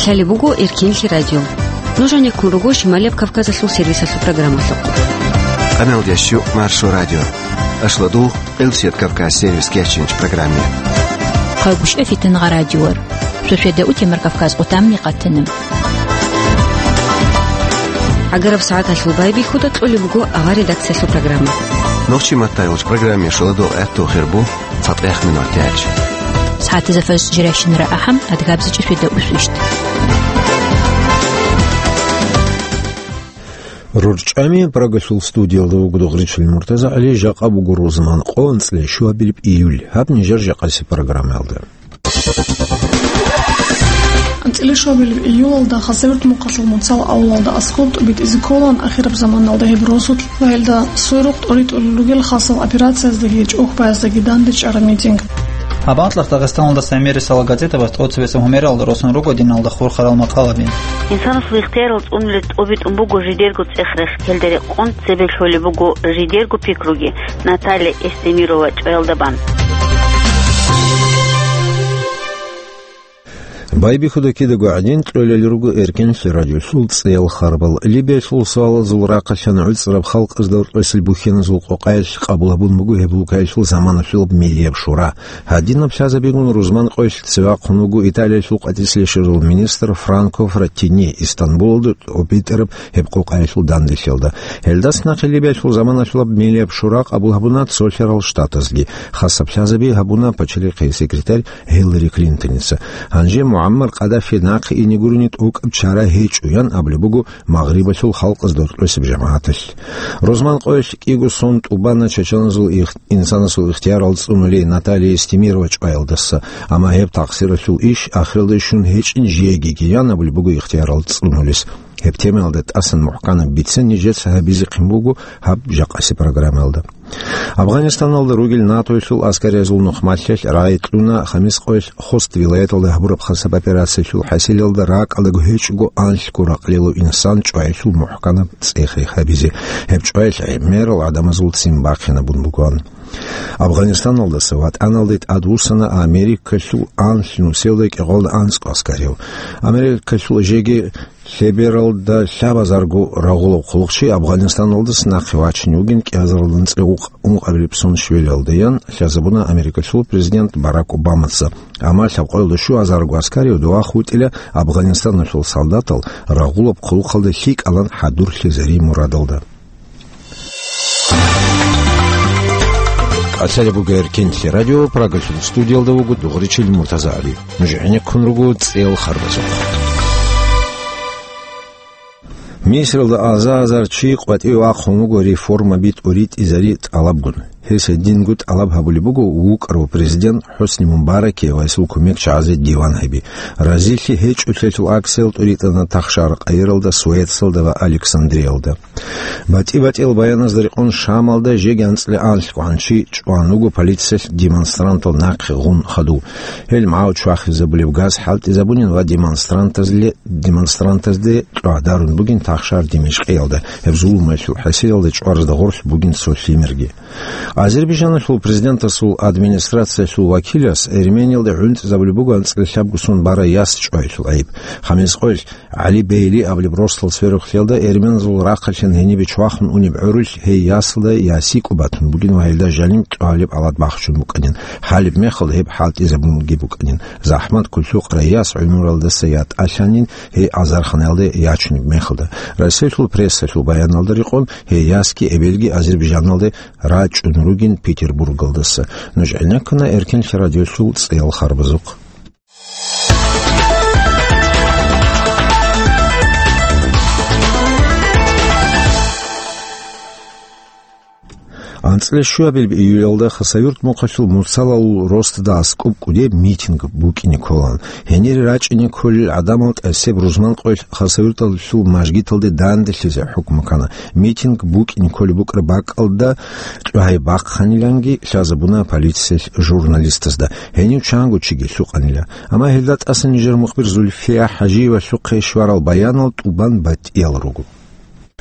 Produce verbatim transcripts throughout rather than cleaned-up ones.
Лъалеб буго Эркенлъи радио. Нуж гьанеккун руго Шималияб Кавказалъул сервисалъул программалъухъ. Къамел ящу Маршо радио. Ашладу Элсет Кавказ сервис кечинч программе. Хъагушев Фитнагъа радиор. Шошеда утемар Кавказ отамни къатана. Агараб сагӀаталъул байбихьуда кьолеб буго авар редакциялъул программа. Нохчи маттайвуч программе шуладу гӀатту хирбу. ЦатӀех минут тяч. СагӀатизафас жиращинара ахӀам адгабзичӀеб шуйда усвищ. РурчӀами Прагалъул студиялда вуго Дугъричил Муртаза ГӀали, жакъа буго рузман къо, анцӀила щуабилеб июль. Гьаб нижер жакъаси программаялда. АнцӀила щуабилеб июлалда Хасавюрт мухъалъул Муцал авлалда аскӀоб тӀубитӀизе кколаан, ахираб заманалда гьеб росулъ ва гьелда сверухъ тӀоритӀулел ругел хасал операцияздаги чӀухӀбаяздаги дандечӀараб митинг. Гьаб анкьалъ Дагъистаналдаса гӀемерисела газетабаз тӀоцебесеб гьумералда росун руго диналда хурхарал макъалаби. Инсанасул ихтиярал цӀунулел тӀубитӀун буго жидерго цӀех-рех, гьелда рекъон цебе лъолеб буго жидерго пикруги Наталья Эстемирова чӀваялда бан. Байбихьуда кидаго гӀадин, кьолел руго Эркенлъи радиолъул цӀеял харбал. Либиялъул суалазул рахъалъан гӀуцӀраб халкъазда рокьесел бухьеназул къокъаялъ къабул гьабун буго гьеб лукаялъул заманалъулаб милияб шура. Гьадинаб лъазабигун рузман къоялъ цеве вахъун вуго Италиялъул къватӀислъи щвезарул министр Франко Фраттини Истанбулалда тӀубитӀараб гьеб къокъаялъул данделъиялда. Гьелдаса нахъе Либиялъул заманалъулаб милияб шура къабул гьабуна цолъарал штатазги. Хасаб лъазаби гьабуна пачалихъе секретарь Гьиллари Клинтоница. Гьанже МугӀаммар Къаддафи нахъе ине гурони тӀокӀаб чара гьечӀо, ян абулеб буго Магърибалъул халкъазда рокьесеб жамагӀаталъ. Рузман къоялъ кӀиго сон тӀубана чачаназул их-, инсанасул ихтиярал цӀунулей Наталья Эстемирова чӀваялдаса, амма гьеб такъсиралъул иш ахиралда щун гьечӀин жеги гиян абулеб буго ихтиярал цӀунулес. Гьеб темаялда тӀасан мухӀканаб бицен нижеца гьабизехъин буго гьаб жакъаси программаялда. Афганистаналда ругел НАТОялъул аскариязул нухмалъалъ рагӀи кьуна Хамис къоялъ Хост вилаяталда гьабураб хасаб операциялъул хӀасилалда ракӀалдаго гьечӀого анлъго ракълъилав инсан чӀваялъул мухӀканаб цӀех-рех гьабизе. Гьеб чӀваялъ гӀемерал гӀадамазул ццин бахъинабун бугоан. Афганистаналдаса ватӀаналде тӀадвуссана Америкалъул анлънусиялда кӀикъоялда анцӀго аскарияв. Америкалъул жеги лъебералда лъабазарго рагъулаб хъулухъчи Афганистаналдаса нахъе вачине вугин кӀиазаралда анцӀила ункъ-, ункъабилеб сон щвелалдаян лъазабуна Америкалъул президент Барак Обамаца. Амма лъабкъоялда щуазарго аскарияв дова хутӀила Афганистаналъул солдатал рагъулаб хъулухъалда лъикӀалан хӀадурлъизари мурадалда. Алсалеб буго Эркенлъи радио, Прагалъул студиялда вуго Дугъричил Муртаза ГӀали. Нуж гӀенеккун руго цӀел харбазухъ. Мисралда аза-азар чи къватӀиве вахъун вуго реформаби тӀуритӀизари тӀалабгун. Гьес гьединго тӀалаб гьабулеб буго вукӀарав президент ХӀусни Мубаракие ва гьесул кумекчагӀазе диван гьаби. Разилъи гьечӀолъиялъул акциял тӀуритӀана Тахшар-Каиралда, Суэцалда ва Александриялда. БатӀи-батӀиял баяназда рекъон Шамалда жеги анцӀила анлъго гӀанчи чӀван вуго полициялъ демонстрантал нахъе гъун хадув. Гьел магӀу чвахизабулеб газ хӀалтӀизабунин ва демонстрантазле-, демонстрантазде кьвагӀдарун бугин Тахшар Димишкъиялда, гьеб зулумаялъул хӀасилалда чӀваразда гъорлъ бугин цо лъимерги. Азербайжаналъул президентасул администрациялъул вакилас Эрмениялда гӀунтӀизабулеб буго анцӀила лъабго сон бара яс чӀваялъул гӀайиб. Хамис къоялъ ГӀали Бейли абулеб росдал сверухълъиялда эрменазул рахъалъан гьенибе чвахун унеб гӀурулъ гьей ясалда ясикӀо батун бугин ва гьелда жаниб кьвалеб гӀалад бахчун букӀанин. Гьалеб мехалда гьеб хӀалтӀизабунги букӀанин. ЗахӀмат куллъукъарай яс гӀумралдаса ятӀалъанин гьей азарханаялде ячунеб мехалда. Россиялъул прессалъул баяналда рекъон, гьей ясги эбелги Азербайжаналде рачӀун ругин Петербургалдаса. Нуж гӀенеккана Эркенлъи радиолъул цӀеял харбазухъ. АнцӀила щуабилеб июлялда Хасавюрт мухъалъул Мурсалалул росдада аскӀоб кӀудеб митинг букӀине кколаан. Гьенире рачӀине кколел гӀадамал тӀасеб рузман къоялъ Хасавюрталъул мажгиталде данделъизе хӀукму ккана. Митинг букӀине кколеб букӀараб бакӀалда кьвагьай бахъаниланги лъазабуна полициялъ журналистазда. Гьенив чанго чиги лъукъанила. Амма гьелда тӀаса нижер мухбир Зульфия ХӀажиевалъухъе щварал баянал тӀубан батӀиял руго.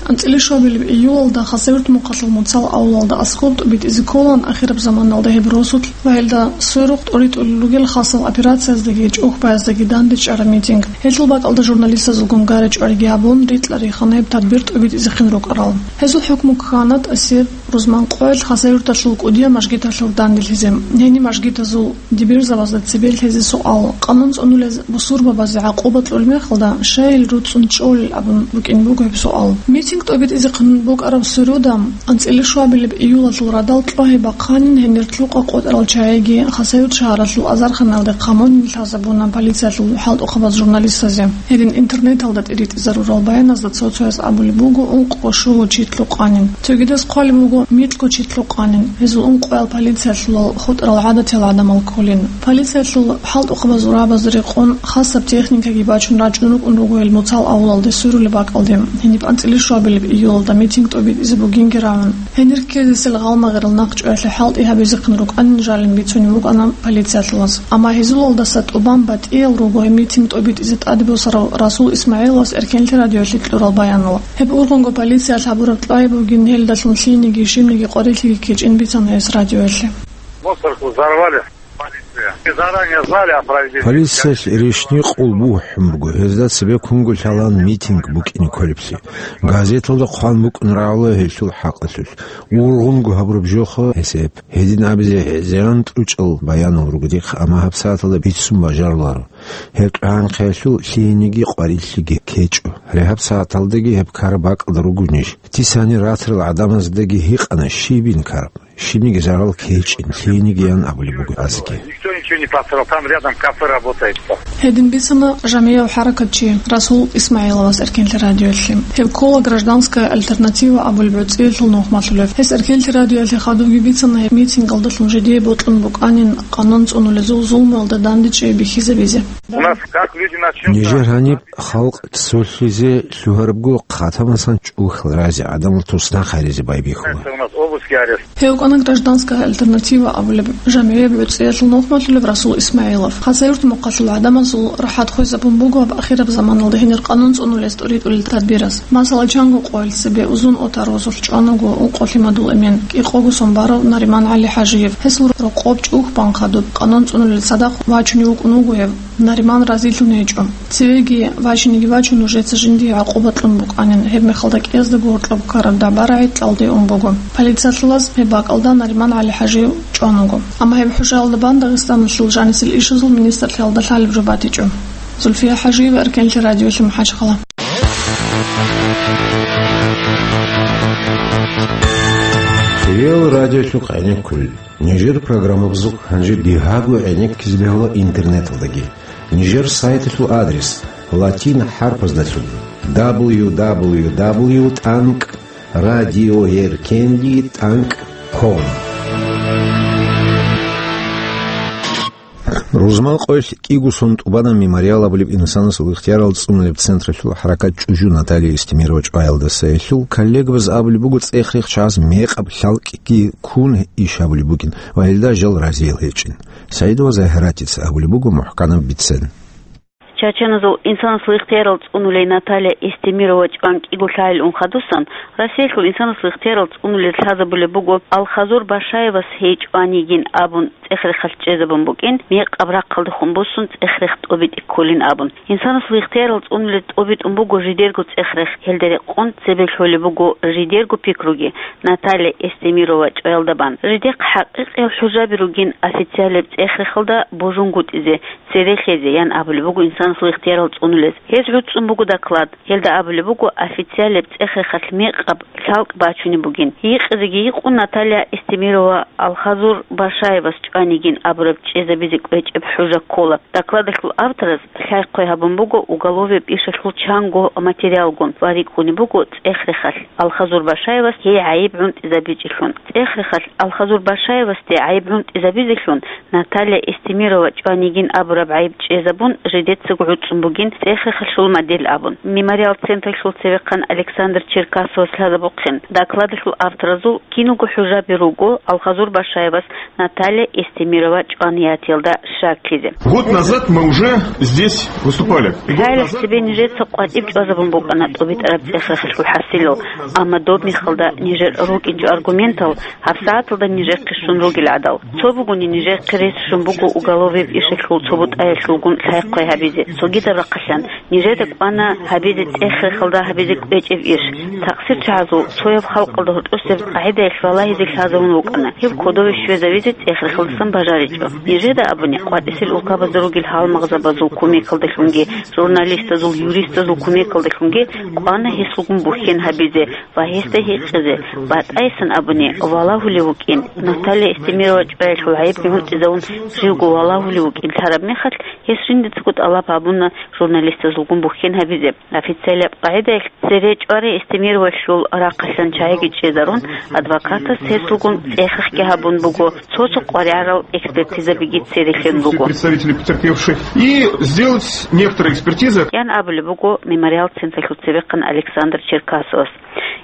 АнцӀила щуабилеб июлалда Хасавюрт мухъалъул Муцал авлалда аскӀоб тӀубитӀизе кколаан ахираб заманалда гьеб росулъ ва гьелда сверухъ тӀоритӀулел ругел хасал операцияздаги чӀухӀбаяздаги дандечӀараб митинг. Гьелъул бакӀалда журналистазулгун гара-чӀвариги гьабун, рикьа-рихана гьеб тадбир тӀубитӀизе хин рукӀарал. Гьезул хӀукму ккана тӀасир рузман къоялъ Хасавюрталъул кӀудияб мажгиталъур данделъизе. Гьениб мажгитазул дибирзабазда цебе лъезе суал, къанун цӀунулез бусурбабазе гӀакъуба кьолеб мехалда, щайил руцӀцӀун чӀолел абун букӀин буго гьеб суал. Митинг тӀобитӀизехъин букӀараб сверуда, анцӀила щуабилеб июлалъул радал кьвагьи бахъанин, гьенир лъукъа къотӀарал чагӀиги Хасавюрт шагьаралъул азарханалде хъамонин лъазабуна полициялъул хӀалтӀухъабаз журналистазе. Гьедин интернеталда тӀиритӀизарурал баяназда цо-цояз абулеб буго ункъго щуго чи лъукъанин. Цогидаз хъвалеб буго микьго чи лъукъанин. Гьезул ункъоял полициялъулал хутӀарал гӀадатиял гӀадамал кколин. Полициялъул хӀалтӀухъабазул рагӀабазда рекъон хасаб техникаги бачун рачӀун рукӀун руго гьел Муцал авлалде сверулеб бакӀалде. Гьениб анцӀила щуабилеб июлалда митинг тӀобитӀизе бугинги рагӀун. Гьенир ккезесел гъалмагърал нахъчӀваялъе хӀалтӀи гьабизехъин рукӀанин жалин бицунеб букӀана полициялъулаз. Амма гьезулалдаса тӀубан батӀиял руго гьеб митинг тӀобитӀизе тӀаде босарав Расул ИсмагӀиловас Эркенлъи радиоялъе кьурал баянал. Гьеб ургъунго полициялъ гьабураб кьвай бугин, гьелдалъун лъиениги щибниги къварилъиги кечӀин бицана гьес радиоялъе. Мусорку взорвали. Полиция. Заранее знали о проведении. Полициялъ рещтӀинаб къулбу бухӀун буго, гьезда цебе кунго лъалаан митинг букӀине кколеблъи. Газеталда хъван букӀун рагӀула гьелъул хӀакъалъулъ. Ургъунго гьабураб жоха гьесеб. Гьедин абизе гӀезегӀан тӀучӀал баянал руго дихъ, амма гьабсагӀаталда бицун бажаруларо. Гьеб кьвагӀанхъиялъул лъиениги къварилъиги кечӀо. Гьеб гьабсагӀаталдаги гьеб ккараб бакӀалда руго ниж. Дицани ратарал гӀадамаздаги гьикъана щибин ккараб. Щибниги зарал кечӀин, лъиениги ян абулеб буго гьазги. Никто ничего не пострадал, там рядом кафе работает. Гьедин бицана жамигӀав хӀаракатчи Расул ИсмагӀиловас Эркенлъи радиоялъе. Гьеб ккола «Гражданская альтернатива» абулеб гӀуцӀиялъул нухмалъулев. Гьес Эркенлъи радиоялъе хадубги бицана гьеб митингалдалъун жидее бокьун букӀанин къанун цӀунулезул зулмуялда дандечӀей бихьизабизе. У нас как люди начнут... Нижер гьаниб халкъ цолъизе лъугьарабго хъатамасан чӀухьал разе гӀадамал туснахъ гьаризе байбихьула. У нас обыски, арест. Гьев вукӀана «Гражданская альтернатива» абулеб жамигӀияб гӀуцӀиялъул нухмалъулев Расул ИсмагӀилов. Хасавюрт мухъалъул гӀадамазул рахӀат хвезабун буго гьаб ахираб заманалда гьенир къанун цӀунулез тӀоритӀулел тадбираз. Масала, чанго къоялъ цебе Узун-Отар росулъ чӀван вуго ункъо лъимадул эмен, кӀикъого сон барав Нариман ГӀали-ХӀажиев. Гьесул рокъоб чӀухӀбан хадуб къанун цӀунулел цадахъ вачунев вукӀун вуго гьев. Нариман разилъун гьечӀо. Цевеги вачиниги вачун, нужеца жиндие гӀакъуба кьун букӀанин, гьеб мехалда кӀияздаго гьоркьоб ккараб дагӀба-рагӀи кьалде ун буго. Полициялъулаз гьеб бакӀалда Нариман ГӀали-ХӀажиев чӀван вуго. Амма гьеб хӀужаялда бан Дагъистаналъул жанисел ишазул министрлъиялда лъалеб жо батичӀо. Зульфия ХӀажиева, Эркенлъи радиоялъе, МахӀачхъала. Цевиял радиолъухъ гӀенеккулел. Нижер программабазухъ гьанже бигьаго гӀенеккизе бегьула интернеталдаги. Нижер сайталъул адрес латин хӀарпаздалъун: дабл ю дабл ю дабл ю тӀанкӀ радиоэркенлъи тӀанкӀ ком. Рузман къоялъ кӀиго сон тӀубана «Мемориал» абулеб инсанасул ихтиярал цӀунулеб централъул хӀаракат чӀужу Наталья Эстемирова чӀваялдаса. Гьелъул коллегабаз абулеб буго, цӀех-рех чагӀаз мекъаб лъалкӀги ккун иш гьабулеб бугин ва гьелда жал разиял гьечӀин. СагӀидова Загьиратица абулеб буго мухӀканаб бицен. Чачаназул инсанасул ихтиярал цӀунулей Наталья Эстемирова чӀван кӀиго лъагӀел ун хадусан, Россиялъул инсанасул ихтиярал цӀунулел лъазабулеб буго Алхазур Башаевас гьей чӀван йигин абун цӀех-рехалъ чӀезабун букӀин, мекъаб рахъалдехун буссун цӀех-рех тӀобитӀи кколин абун. Инсанасул ихтиярал цӀунулел тӀобитӀун буго жидерго цӀех-рех, гьелда рекъон цебе лъолеб буго жидерго пикруги Наталья Эстемирова чӀваялда бан. Жидехъ хӀакъикъиял хӀужаби ругин официалияб цӀех-рехалда божунгутӀизе, цере лъезе, ян абулеб буго инсанасул ихтиярал цӀунулез. Гьез гӀуцӀцӀун буго доклад. Гьелда абулеб буго официалияб цӀех-рехалъ мекъаб лъалкӀ бачунеб бугин. Гьикъизеги гьикъун Наталья Эстемирова Алхазур Башаевас чӀван йигин абураб чӀезабизе кӀвечӀеб хӀужа ккола. Докладалъул автораз лъай-хъвай гьабун буго уголовияб ишалъул чанго материалгун ва рикӀкӀунеб буго цӀех-рехалъ Алхазур Башаевас гьей гӀайиб гӀунтӀизабичӀелъун. ЦӀех-рехалъ Алхазур Башаевасде гӀайиб гӀунтӀизабизелъун Наталья Эстемирова чӀван йигин абураб гӀайиб чӀезабун, жидеца гӀуцӀун бугин цӀех-рехалъул модель абун. Мемориал централъул цевехъан Александр Черкасовас лъазабухъин, докладалъул авторазул киналго хӀужаби руго Алхазур Башаевас Наталья Эстемирова чӀваниятиялда щаклъизе. Год назад мы уже здесь выступали. Год Лъаялъ назад цебе нижеца къватӀиб чӀвазабун букӀана тӀубитӀараб цӀех-рехалъул хӀасилал, амма доб мехалда нижер рукӀинчӀо аргументал гьабсагӀаталда нижехъе щун ругел гӀадал. Цо бугони нижехъе рес щун буго уголовияб ишалъул цо бутӀаялъулгун лъай-хъвай гьабизе, цогидаб рахъалъан нижеда кӀвана гьабизе цӀех-рехалда гьабизе кӀвечӀеб иш. Такъсирчагьазул цояб халкъалда гьоркьосеб къагӀидаялъ валагьизе лъазабун вукӀана, гьеб кодове щвезавизе цӀех-рехалдасан бажаричӀо. Нижеда абуни, къватӀисел улкабазда ругел гьалмагъзабазул кумекалдалъунги, журналистазул, юристазул кумекалдалъунги кӀвана гьесулгун бухьен гьабизе ва гьесда гьикъизе, батӀайсан абуни, валагьулев вукӀин, Наталья Эстемирова чӀваялъул гӀайибги гӀунтӀизавун живго валагьулев вукӀин лъараб мехалъ, гьес жиндицаго тӀалаб гьабуна журналистазулгун бухьен гьабизе. Официалияб къагӀидаялъ цере чӀвари Эстемировалъул рахъалъан чагӀиги чӀезарун, адвокатас гьесулгун цӀех-рехги гьабун буго, цо-цо къваригӀарал экспертизабиги цере лъун буго. Представители потерпевших и сделать некоторые экспертизы. Ян абулеб буго мемориал централъул цевехъан Александр Черкасовас.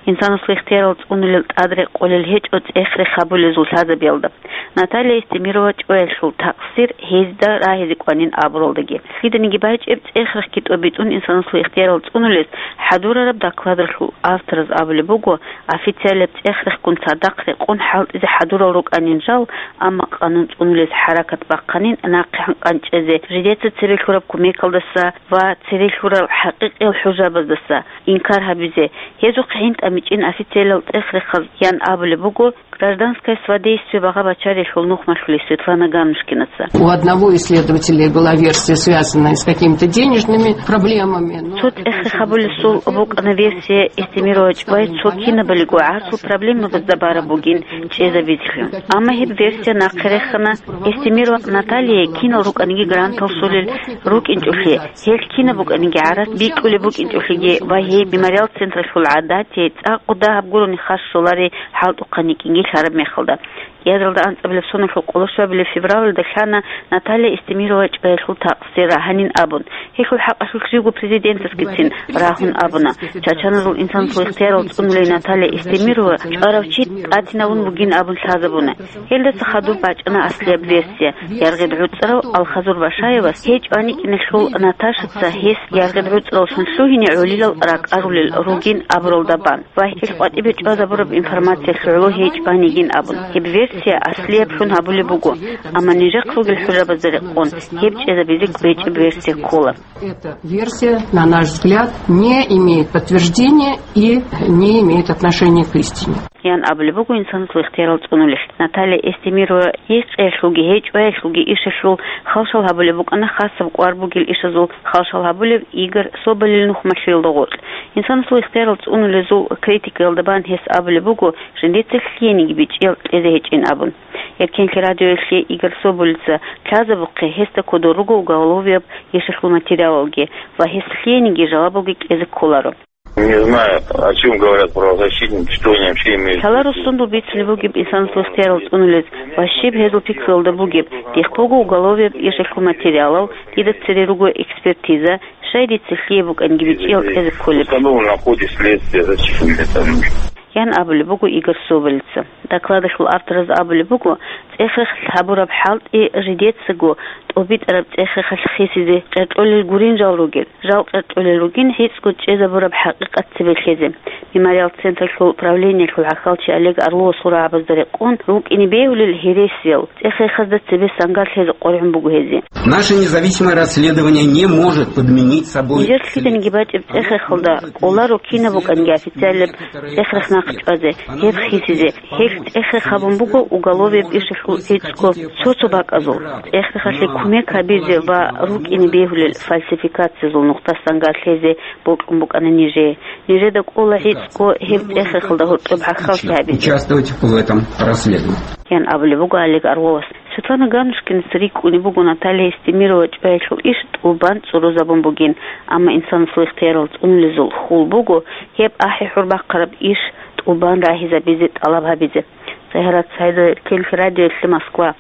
Инсанасул ихтиярал цӀунулел тӀад рекъолел гьечӀо цӀех-рех гьабулезул лъазабиялда. Наталья Эстемирова чӀваялъул такъсир гьезда рагьизе кӀванин абуралдаги. Лъиданиги бачӀеб цӀех-рехги тӀобитӀун инсанасул ихтиярал цӀунулес хӀадурараб докладалъул автораз абулеб буго, официалияб цӀех-рехгун цадахъ рекъон хӀалтӀизе хӀадурал рукӀанин жал, амма къанун цӀунулес хӀаракат бахъанин нахъе гьанкӀан чӀезе, жидеца цебе лъураб кумекалдаса ва цере лъурал хӀакъикъиял хӀужабаздаса инкар гьабизе, гьезухъ гӀин тӀамичӀин официалияб цӀех-рехаз, ян абулеб буго Гражданское содействие багъа-бачарилъул нухмалъулев Светлана Ганнушкинаца. У одного исследователя была версия, связанная с какими-то денежными проблемами, но... Цо цӀех-рехабулесул букӀана версия, Эстемирович вай цо кинабалиго гӀарцул проблемабазда бараб бугин чӀезабизлъун. Амма гьеб версия нахъе рехана, Эстемирова Натальяе кинал рукӀаниги грантал щолел рукӀинчӀолъи, гьелъ кинаб букӀаниги гӀарац бикьулеб букӀинчӀолъиги ва гьей мемориал централъул гӀадатияй цӀакъ дагьаб гурони хас щоларей хӀалтӀухъан йикӀинги лъараб мехалда. КӀиазалда анцӀабилеб соналъул къоло щуабилеб февралалда лъана Наталья Эстемирова чӀваялъул такъсир рагьанин абун. Гьелъул хӀакъалъулъ живго президентасгицин рагьун абуна. Чачаназул инсанасул ихтиярал цӀунулей Наталья Эстемирова чӀварав чи тӀатинавун вугин абун лъазабуна. Гьелдаса хадуб бачӀана аслияб версия, яргъид гӀуцӀрав Алхазур Башаевас гьей чӀваничӀиналъул Наташаца гьес яргъид гӀуцӀравлъун лъугьине гӀолилал ракӀарулел ругин абуралда бан ва гьел къватӀибе чӀвазабураб информациялъ гӀоло гьей чӀванигин абун. Гьеб версия аслияблъун гьабулеб буго, амма нижехъ ругел хӀужабазда рекъон гьеб чӀезабизе кӀвечӀеб версия ккола. Эта версия, на наш взгляд, не имеет подтверждения и не имеет отношения к истине. Ян абулеб буго инсанасул ихтиярал цӀунулелъ. Наталья Эстемирова гьей цӀеялъулги, гьей чӀваялъулги ишалъул халшал гьабулеб букӀана хасаб кӀвар бугел ишазул халшал гьабулев Игорь Соболил нухмалъиялда гъоркь. Инсанасул ихтиярал цӀунулезул критикаялда бан гьес абулеб буго, жиндица лъиениги бичӀчӀиял кьезе гьечӀин абун. Эркенлъи радиоялъе Игорь Соболица лъазабухъе гьесда кодор руго уголовияб ишалъул материалалги ва гьес лъиениги жалабалги кьезе кколаро. Не знаю, о чём говорят правозащитники, что они вообще имеют в виду. Лъала руссундул бицунеб бугеб инсанасул ихтиярал цӀунулез ва щиб гьезул пикруялда бугеб, дихъ буго уголовияб ишалъул материалал, дида цере руго экспертиза, щай дица лъие букӀанги бичӀчӀиял кьезе кколеб. Установлено в ходе следствия, зачем мне там нужно? Ян абулеб буго Игорь Соболица. Докладалъул автораз абулеб буго, цӀех-рех гьабураб хӀалтӀи жидецаго тӀобитӀараб цӀех-рехалъ хисизе къеркьолел гурин жал ругел. Жал къеркьолел ругин гӀицӀго чӀезабураб хӀакъикъат цебе лъезе. Мемориал централъул правлениялъул гӀахьалчи Олег Орловас гьурабазда рекъон рукӀине бегьулел гьересиял цӀех-рехазда цебе сангар лъезе къваригӀун буго гьезие. Наше независимое расследование не может подменить собой... Нижер лъиданиги бачӀеб цӀех-рехалда кӀоларо кинаб букӀанги официалияб цӀех-рех нахъ чӀвазе, гьеб хисизе. Гьелъ цӀех-рех гьабун буго уголовияб ишалъул гӀицӀго цо-цо бакӀазул. ЦӀех-рехалъе кумек гьабизе ва рукӀине бегьулел фальсификациязул нухда сангар лъезе бокьун букӀана нижее. Нижеда кӀола гӀицӀго гьеб цӀех-рехалда гьоркьоб гӀахьаллъи гьабизе. Участвовать в этом расследовании. Ян абулеб буго Олег Орловас. Светлана Ганнушкинаца рикӀкӀунеб буго Наталья Эстемирова чӀваялъул иш тӀубан цӀурузабун бугин, амма инсанасул ихтиярал цӀунулезул хьул буго гьеб ахӀи-хӀур бахъараб иш тӀубан рагьизабизе тӀалаб гьабизе. СагьаратӀ СагӀидова, Эркенлъи радиоялъе, Москва.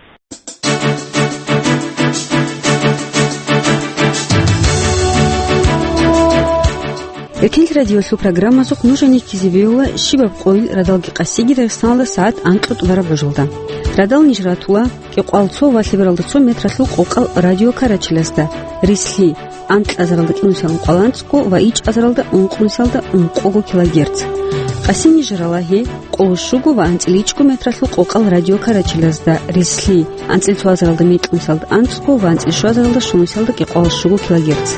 Радиолъул программазухъ нуж гьанир ккезе бегьула щибаб къойил радалги къасиги Дагъистаналда сагӀат анкьго тӀубараб гӀужалда. Радал ниж ратула кӀикъоялда цо ва лъебералда цо метралъул къокъал радиокарачелазда, рислъи, анкьазаралда кӀинусиялда ункъоялда анцӀго ва ичӀазаралда ункънусиялда ункъого килогерц. Къасин ниж рала гьеб къоло щуго ва анцӀила ичӀго метралъул къокъал радиокарачелазда, рислъи, анцӀила цоазаралда микьнусиялда анцӀго ва анцӀила щуазаралда щунусиялда кӀикъоялда щуго килогерц.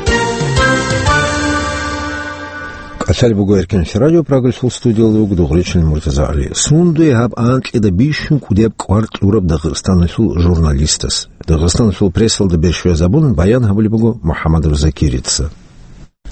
КӀалъалеб буго Эркенлъи радио, Прагалъул студиялда вуго Дугъричилан МуртазагӀали. Сундуе гьаб анкьида бищун кӀудияб кӀвар кьураб Дагъистаналъул журналистас? Дагъистаналъул прессалда бер щвезабун баян гьабулеб буго МухӀаммадов Закирица.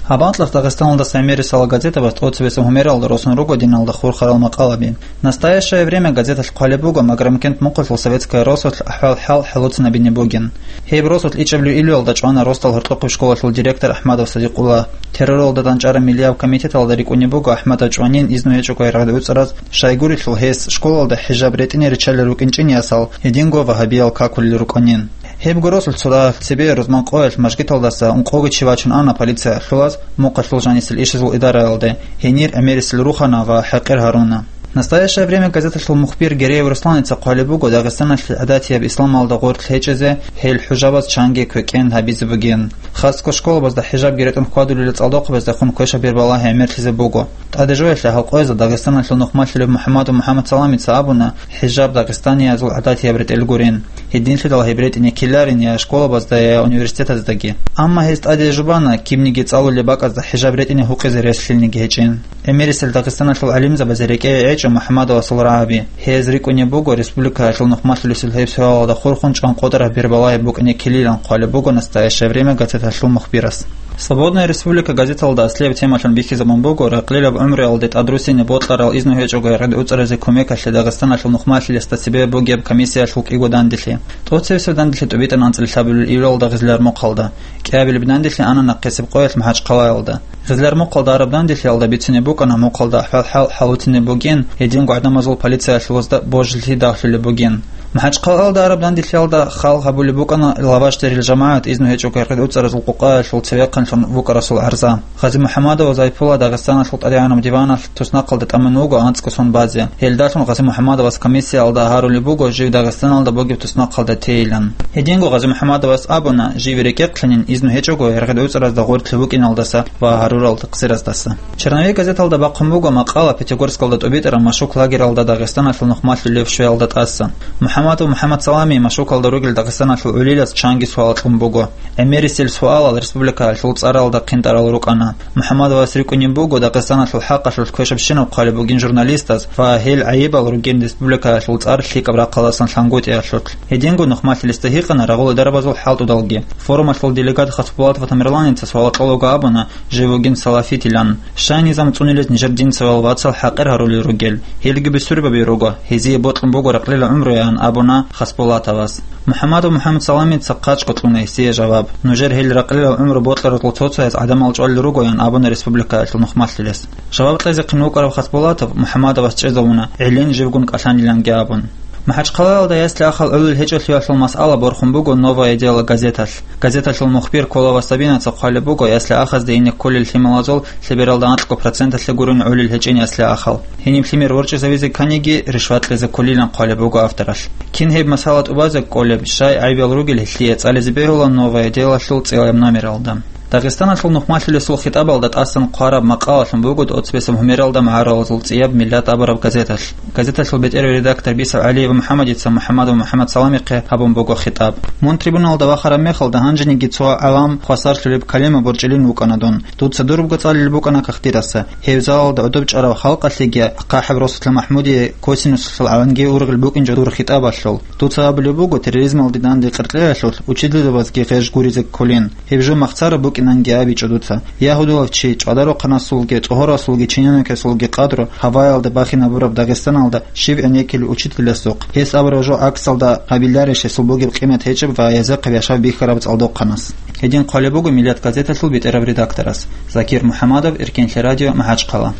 Гьаб анкьалъ Дагъистаналдаса гӀемерисела газетабаз тӀоцебесеб гьумералда росун руго диналда хурхарал макъалаби. «Настоящее время» газеталъ хъвалеб буго Маграмкент мухъалъул советская росулъ ахӀвал-хӀал хӀалуцинабине бугин. Гьеб росулъ ичӀабилеб июлалда чӀвана росдал гьоркьохъеб школалъул директор АхӀмадов Садикъуллагь. Терроралда данчӀараб миллияб комитеталда рикӀкӀунеб буго АхӀмадов чӀванин изну гьечӀого гӀергъи уцӀараз, щайгурелъул гьес школалда хӀижаб ретӀине риччалел рукӀинчӀин ясал, гьединго вагьабиял какулел рукӀанин. Гьебго росулъ цо дагьалъ цебе рузман къоялъ мажгиталдаса ункъого чи вачун ана полициялъулаз мухъалъул жанисел ишазул идараялде, гьенир гӀемерисел рухана ва хӀакъир гьаруна. «Настоящее время» газеталъул мухбир Гереев Русланица хъвалеб буго Дагъистаналъе гӀадатияб исламалда гъорлъ гьечӀезе гьел хӀужабаз чанги квекӀен гьабизе бугин. Хасго школабазда хӀижабги ретӀун хьвадулел цӀалдохъабаздехун квешаб бер балагьи гӀемерлъизе буго. ТӀаде жоялъе гьал къоязда Дагъистаналъул нухмалъулев МухӀаммадов МухӀаммадсаламица абуна, хӀижаб дагъистаниязул гӀадатияб ретӀелгурин. Гьединлъидал гьеб ретӀине ккеларин я школабазда, я университетаздаги. Амма гьез тӀаде жубана, кибниги цӀалулеб бакӀазда хӀижаб ретӀине гьукъизе рес лъилниги гьечӀин. ГӀемерисел Дагъистаналъул гӀалимзабазе рекӀее гӀечӀо МухӀаммадовасул рагӀаби. Гьез рикӀкӀунеб буго республикаялъул нухмалъулесул гьеб суалалда хурхун чӀван къотӀараб бер балагьи букӀине ккелилан, хъвалеб буго «Настоящее время» газеталъул мухбирас. «Свободная республика» газеталда аслияб темалъун бихьизабун буго ракълилаб гӀумруялде тӀадруссине бокьарал изну гьечӀого гӀергъи уцӀаразе кумекалъе Дагъистаналъул нухмалъулесда цебе бугеб комиссиялъул кӀиго данделъи. ТӀоцебесеб данделъи тӀубитӀун анцӀила лъабабилеб июлалда Гъизлярмухъалда, кӀиабилеб данделъи ана нахъисеб къоялъ МахӀачхъалаялда. Гъизлярмухъалда араб данделъиялда бицунеб букӀана мухъалда ахӀвал-хӀал хӀалуцинеб бугин, гьединго гӀадамазул полициялъулазда божилъи дагьлъулеб бугин. МахӀачхъалаялда араб данделъиялда хал гьабулеб букӀана Лавашдерил жамагӀат изну гьечӀого гӀергъи уцӀаразул къукъаялъул цевехъанлъун вукӀарасул гӀарза. Гъази МухӀаммадова Зайпула Дагъистаналъул ТӀадегӀанаб диваналъ туснахъалда тӀамун вуго анцӀго сон базе. Гьелдалъун Гъази МухӀаммадовас комиссиялда гьарулеб буго жив Дагъистаналда бугеб туснахъалда тейилан. Гьединго Гъази МухӀаммадовас абуна, жив рекӀехъанин изну гьечӀого гӀергъи уцӀаразда гъорлъ вукӀиналдаса ва гьарурал такъсираздаса. «Черновик» газеталда бахъун буго макъала Пятигорскалда тӀубитӀараб машук лагералда Дагъистаналъул нухмалъулев щвеялда тӀасан. МухӀаммадов МухӀаммадсаламие машукалда ругел Дагъистаналъул гӀолилас чанги суал кьун буго. ГӀемерисел суалал республикаялъул цӀаралда хъинтӀарал рукӀана. МухӀаммадовас рикӀкӀунеб буго Дагъистаналъул хӀакъалъулъ квешабщинаб хъвалеб бугин журналистаз ва гьел гӀайибал ругин республикаялъул цӀар лъикӀаб рахъалдасан лъангутӀиялъулъ. Гьединго нухмалъулесда гьикъана рагъул дарабазул хӀалтӀудалги. Форумалъул делегат Хасбулатов Тамерланица суал кьолаго абуна, жив вугин салафитилан. Щай низам цӀунилез нижер динцевал вацал хӀакъир гьарулел ругел? Гьелги бусурбаби руго, гьезие бокьун буго ракълила гӀумруян, абуна Хасбулатовас. МухӀаммадов МухӀаммадсаламица хъачӀго кьуна гьесие жаваб. Нужер гьел ракълила гӀумру бокьаразул цо-цояз гӀадамал чӀвалел ругоян абуна республикаялъул нухмалъулес. Жаваб кьезехъин вукӀарав Хасбулатов МухӀаммадовас чӀезавуна, гӀелин живгун кӀалъаниланги абун. МахӀачхъалаялда ясли-ахал гӀолил гьечӀолъиялъул масъала борхун буго «Новое дело» газеталъ. Газеталъул мухбир Колова Сабинаца хъвалеб буго, ясли-ахазде ине кколел лъималазул лъебералда анкьго проценталъе гурин гӀолил гьечӀин ясли-ахал. Гьениб лъимер ворчӀизавизе кканиги, ришват кьезе кколилан хъвалеб буго авторалъ. Кин гьеб масъала тӀубазе кколеб, щай гӀайибал ругел гьелъие, цӀализе бегьула «Новое дело»лъул цӀияб номералда. Дагъистаналъул нухмалъулесул хитӀабалда тӀасан хъвараб макъалалъун буго тӀоцебесеб гьумералда магӀарулазул цӀияб «Миллат» абураб газеталъ. Газеталъул бетӀерав редактор бицав ГӀалиев МухӀаммадица МухӀаммадов МухӀаммадсаламихъе гьабун буго хитӀаб. Мун трибуналда вахараб мехалда гьанжениги цо гӀалам хвасарлъулеб калима борчӀилин вукӀана дун. Дуца дурабго цӀалулеб букӀана кагътидаса. Гьев залалда гӀодоб чӀарав халкъалъеги, ахъахӀеб росулъа МахӀмудие косинусалъул гӀаланги ургъел букӀинчӀо дур хитӀабалъул. Дуца абулеб буго, терроризмалде данде къеркьеялъулъ учительзабазги гъеж гуризе кколин. Гьеб жо махцараб букӀинанги абичӀо дуца. Ягьудияв чи, чӀвадарухъанасулги, цӀогьорасулги, чиновникасулги къадру гьаваялда бахинабураб Дагъистаналда щив гӀенеккилев учительасухъ? Гьес абураб жо гӀаксалда гьабиларищ гьесул бугеб къимат гьечӀеб ва гьезухъе яшав бихьараб цӀалдохъанас? Гьедин хъвалеб буго «Миллат» газеталъул бетӀерав редакторас. Закир МухӀаммадов, Эркенлъи радио, МахӀачхъала.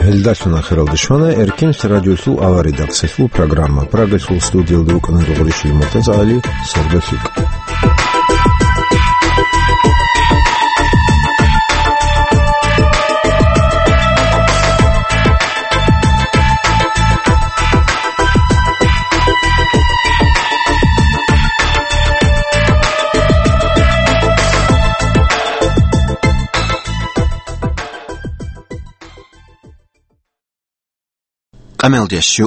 Гьелдалъун ахиралде щвана Эркенлъи радиолъул авария редакциялъул программа. Прагалъул студиялда рукӀана Дугъричилан МуртазагӀали, сордолъикӀ. къамелдияс щу